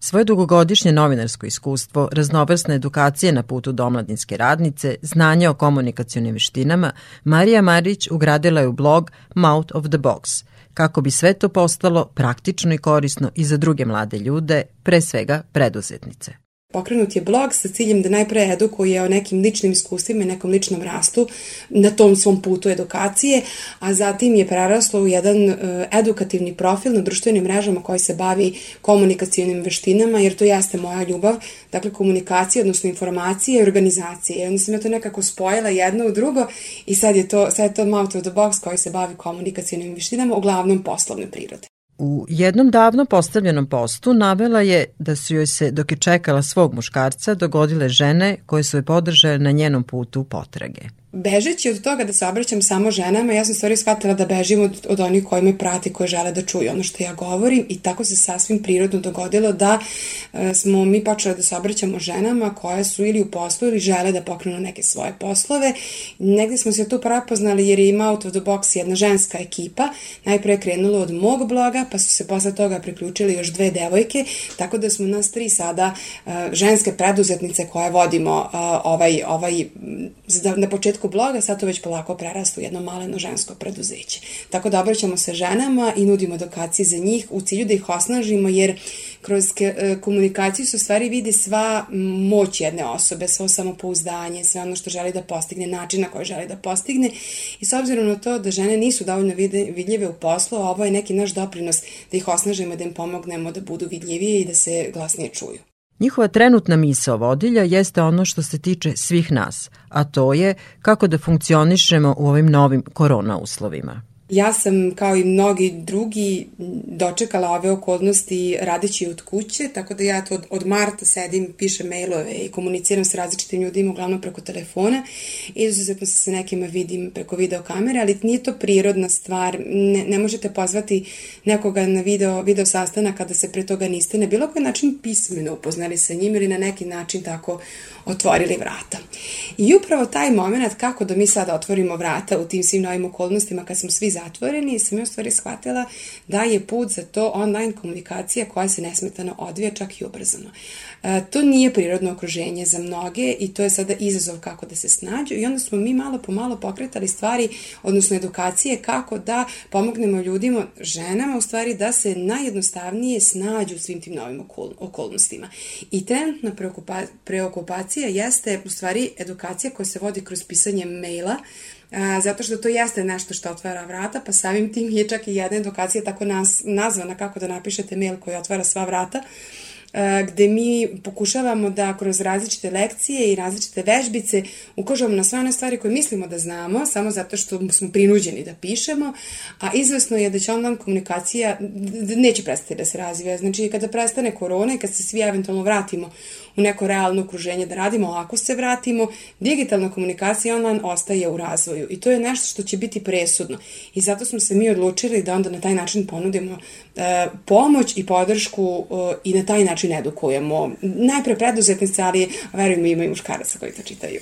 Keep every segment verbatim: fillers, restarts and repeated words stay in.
Svoje dugogodišnje novinarsko iskustvo, raznovrsne edukacije na putu do omladinske radnice, znanje o komunikacionim veštinama, Marija Marić ugradila je u blog Mouth of the Box, kako bi sve to postalo praktično i korisno i za druge mlade ljude, pre svega preduzetnice. Pokrenut je blog sa ciljem da najpre edukuje o nekim ličnim iskustvima i nekom ličnom rastu na tom svom putu edukacije, a zatim je preraslo u jedan edukativni profil na društvenim mrežama koji se bavi komunikacionim veštinama, jer to jeste moja ljubav, dakle komunikacija, odnosno informacije i organizacije. I onda sam ja to nekako spojila jedno u drugo i sad je to, sad je to Mouth of the Box koji se bavi komunikacionim veštinama, uglavnom poslovne prirode. U jednom davno postavljenom postu navela je da su joj se, dok je čekala svog muškarca, dogodile žene koje su je podržale na njenom putu potrage. Bežeći od toga da se obraćam samo ženama, ja sam stvari shvatila da bežim od, od onih koji me prati, koji žele da čuju ono što ja govorim, i tako se sasvim prirodno dogodilo da e, smo mi počeli da se obraćamo ženama koje su ili u poslu ili žele da pokrenu neke svoje poslove. Negdje smo se tu prepoznali jer je ima Out of the Box jedna ženska ekipa. Najpre je krenulo od mog bloga, pa su se posle toga priključili još dve devojke, tako da smo nas tri sada e, ženske preduzetnice koje vodimo e, ovaj, ovaj na početku bloga, sad to već polako prerasta u jedno maleno žensko preduzeće. Tako da obraćamo se ženama i nudimo edukacije za njih u cilju da ih osnažimo, jer kroz komunikaciju se u stvari vidi sva moć jedne osobe, svo samopouzdanje, sve ono što želi da postigne, način na koji želi da postigne, i s obzirom na to da žene nisu dovoljno vidljive u poslu, ovo je neki naš doprinos da ih osnažimo, da im pomognemo da budu vidljivije i da se glasnije čuju. Njihova trenutna misao vodilja jeste ono što se tiče svih nas, a to je kako da funkcionišemo u ovim novim korona uslovima. Ja sam, kao i mnogi drugi, dočekala ove okolnosti radeći od kuće, tako da ja to od, od marta sedim, pišem mailove i komuniciram s različitim ljudima, uglavnom preko telefona. Izuzetno se sa nekima vidim preko videokamere, ali nije to prirodna stvar. Ne, ne možete pozvati nekoga na video, video sastanak kada se pre toga niste na bilo koji način pismeno upoznali sa njim ili na neki način tako otvorili vrata. I upravo taj moment kako da mi sada otvorimo vrata u tim svim novim okolnostima kad smo svi zatvoreni, sam ja u stvari shvatila da je put za to online komunikacija koja se nesmetano odvija, čak i ubrzano. E, to nije prirodno okruženje za mnoge i to je sada izazov kako da se snađu, i onda smo mi malo po malo pokretali stvari, odnosno edukacije kako da pomognemo ljudima, ženama u stvari, da se najjednostavnije snađu u svim tim novim okol- okolnostima. I trenutna preokupa- preokupacija jeste u stvari edukacija koja se vodi kroz pisanje maila, A, zato što to jeste nešto što otvara vrata, pa samim tim je čak i jedna edukacija tako nas, nazvana kako da napišete mail koji otvara sva vrata, a, gde mi pokušavamo da kroz različite lekcije i različite vežbice ukažemo na sve one stvari koje mislimo da znamo, samo zato što smo prinuđeni da pišemo, a izvesno je da će online komunikacija neće prestati da se razvija. Znači, kada prestane korona i kad se svi eventualno vratimo u neko realno okruženje da radimo, ako se vratimo, digitalna komunikacija online ostaje u razvoju i to je nešto što će biti presudno. I zato smo se mi odlučili da onda na taj način ponudimo e, pomoć i podršku e, i na taj način edukujemo. Najpre preduzetnice, ali verujemo ima i muškaraca koji to čitaju.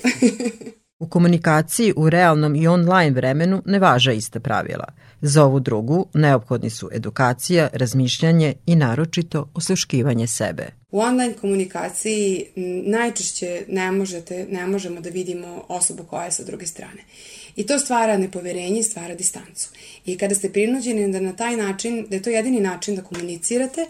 U komunikaciji u realnom i online vremenu ne važa ista pravila. Za ovu drugu neophodni su edukacija, razmišljanje i naročito osluškivanje sebe. U online komunikaciji najčešće ne možete, ne možemo da vidimo osobu koja je sa druge strane. I to stvara nepoverenje, stvara distancu. I kada ste prinuđeni da na taj način, da je to jedini način da komunicirate,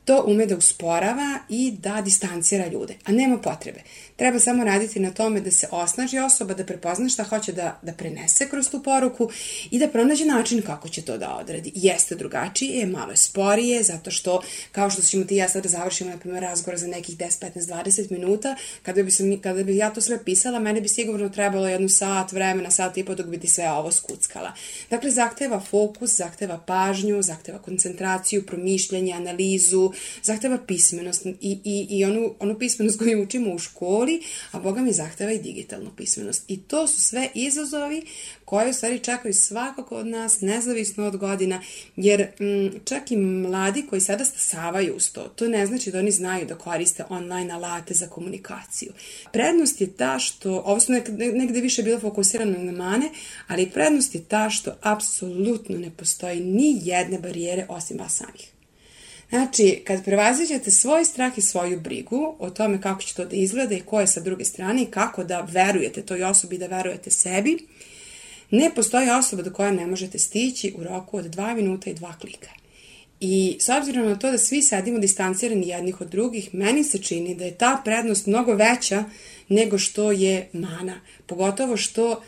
to ume da usporava i da distancira ljude, a nema potrebe. Treba samo raditi na tome da se osnaži osoba, da prepozna šta hoće da, da prenese kroz tu poruku i da pronađe način kako će to da odradi. Jeste drugačije, malo je sporije, zato što, kao što ćemo ti ja sad da završimo, na primjer, razgovor za nekih deset, petnaest, dvadeset minuta, kada bi, sam, kada bi ja to sve pisala, mene bi sigurno trebalo jednu sat vremena, sat i po dok bi ti sve ovo skuckala. Dakle, zahteva fokus, zahteva pažnju, zahteva koncentraciju, promišljanje, analizu, zahteva pismenost i, i, i onu, onu pismenost koju učimo u školi, a Boga mi zahteva i digitalnu pismenost. I to su sve izazovi koje u stvari čekaju svakog od nas, nezavisno od godina, jer m, čak i mladi koji sada stasavaju uz to, to ne znači da oni znaju da koriste online alate za komunikaciju. Prednost je ta što, ovo su negde više bilo fokusirano na mane, ali prednost je ta što apsolutno ne postoji ni jedne barijere osim vas samih. Znači, kad prevaziđete svoj strah i svoju brigu o tome kako će to da izgleda i ko je sa druge strane i kako da verujete toj osobi, da verujete sebi, ne postoji osoba do koja ne možete stići u roku od dva minuta i dva klika. I s obzirom na to da svi sedimo distancirani jednih od drugih, meni se čini da je ta prednost mnogo veća nego što je mana. Pogotovo što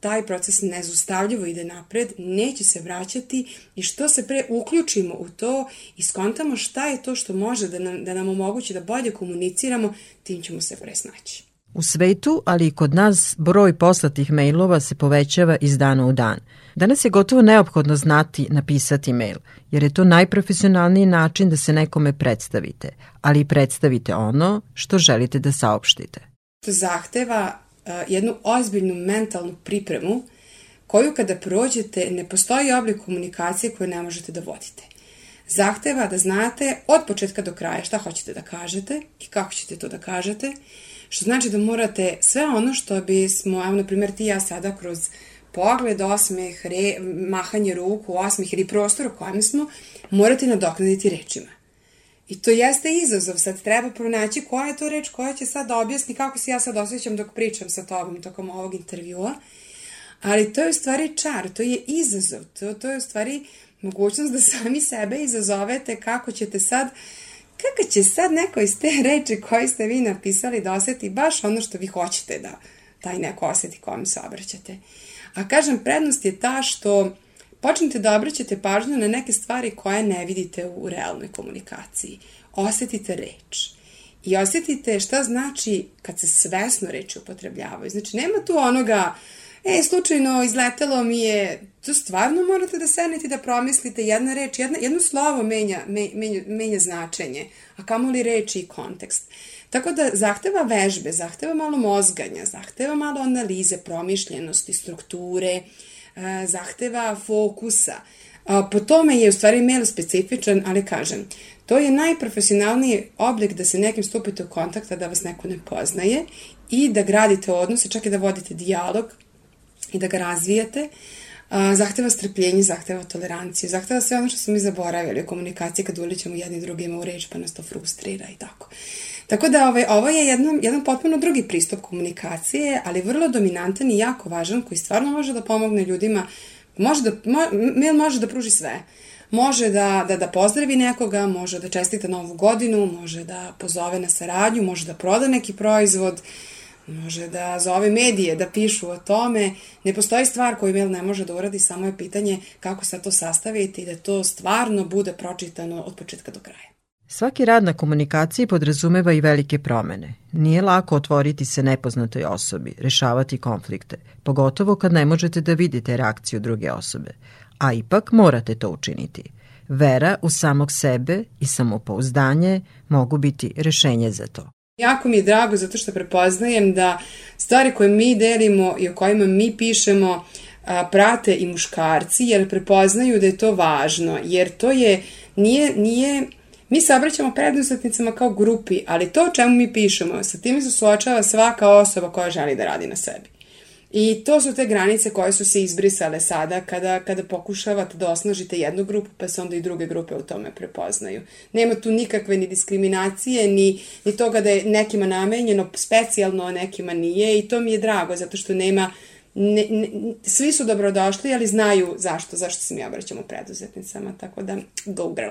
taj proces nezaustavljivo ide napred, neće se vraćati i što se pre uključimo u to i skontamo šta je to što može da nam, da nam omogući da bolje komuniciramo, tim ćemo se pre snaći. U svetu, ali i kod nas, broj poslatih mailova se povećava iz dana u dan. Danas je gotovo neophodno znati napisati mail, jer je to najprofesionalniji način da se nekome predstavite, ali i predstavite ono što želite da saopštite. To zahteva uh, jednu ozbiljnu mentalnu pripremu koju kada prođete ne postoji oblik komunikacije koju ne možete da vodite. Zahteva da znate od početka do kraja šta hoćete da kažete i kako ćete to da kažete, što znači da morate sve ono što bismo, evo na primjer ti i ja sada kroz pogled, osmeh, re, mahanje ruku, osmeh ili prostor u kojem smo, morate nadoknaditi rečima. I to jeste izazov, sad treba pronaći koja je to reč koja će sad da objasni kako se ja sad osjećam dok pričam sa tobom tokom ovog intervjua, ali to je u stvari čar, to je izazov, to, to je u stvari mogućnost da sami sebe izazovete kako ćete sad, kako će sad neko iz te reči koje ste vi napisali da osjeti baš ono što vi hoćete da taj neko osjeti kojom se obraćate. A kažem, prednost je ta što počnete da obraćate pažnju na neke stvari koje ne vidite u realnoj komunikaciji. Osjetite reč. I osjetite šta znači kad se svesno reči upotrebljavaju. Znači, nema tu onoga, e, slučajno izletelo mi je, to stvarno morate da sednete da promislite jedna reč, jedna, jedno slovo menja, menja, menja značenje, a kamoli reči i kontekst. Tako da zahteva vežbe, zahteva malo mozganja, zahteva malo analize, promišljenosti, strukture, zahteva fokusa. Po tome je u stvari mail specifičan, ali kažem, to je najprofesionalniji oblik da se nekim stupite u kontakt, da vas neko ne poznaje i da gradite odnose, čak i da vodite dijalog i da ga razvijate. Zahteva strpljenje, zahteva toleranciju, zahteva sve ono što smo mi zaboravili u komunikaciji kad ulićemo jedni drugima u reč pa nas to frustrira i tako. Tako da ovaj, ovo je jedan, jedan potpuno drugi pristup komunikacije, ali vrlo dominantan i jako važan koji stvarno može da pomogne ljudima. Može da, mo, mail može da pruži sve. Može da, da, da pozdravi nekoga, može da čestita novu godinu, može da pozove na saradnju, može da proda neki proizvod, može da zove medije da pišu o tome. Ne postoji stvar koju mail ne može da uradi, samo je pitanje kako sad to sastaviti i da to stvarno bude pročitano od početka do kraja. Svaki rad na komunikaciji podrazumeva i velike promene. Nije lako otvoriti se nepoznatoj osobi, rešavati konflikte, pogotovo kad ne možete da vidite reakciju druge osobe, a ipak morate to učiniti. Vera u samog sebe i samopouzdanje mogu biti rešenje za to. Jako mi je drago zato što prepoznajem da stvari koje mi delimo i o kojima mi pišemo prate i muškarci, jer prepoznaju da je to važno, jer to je, nije, nije, mi se obraćamo preduzetnicama kao grupi, ali to o čemu mi pišemo, sa tim se suočava svaka osoba koja želi da radi na sebi. I to su te granice koje su se izbrisale sada kada, kada pokušavate da osnažite jednu grupu, pa se onda i druge grupe u tome prepoznaju. Nema tu nikakve ni diskriminacije, ni, ni toga da je nekima namenjeno specijalno, a nekima nije, i to mi je drago, zato što nema, ne, ne, svi su dobrodošli, ali znaju zašto, zašto se mi obraćamo preduzetnicama, tako da go girl.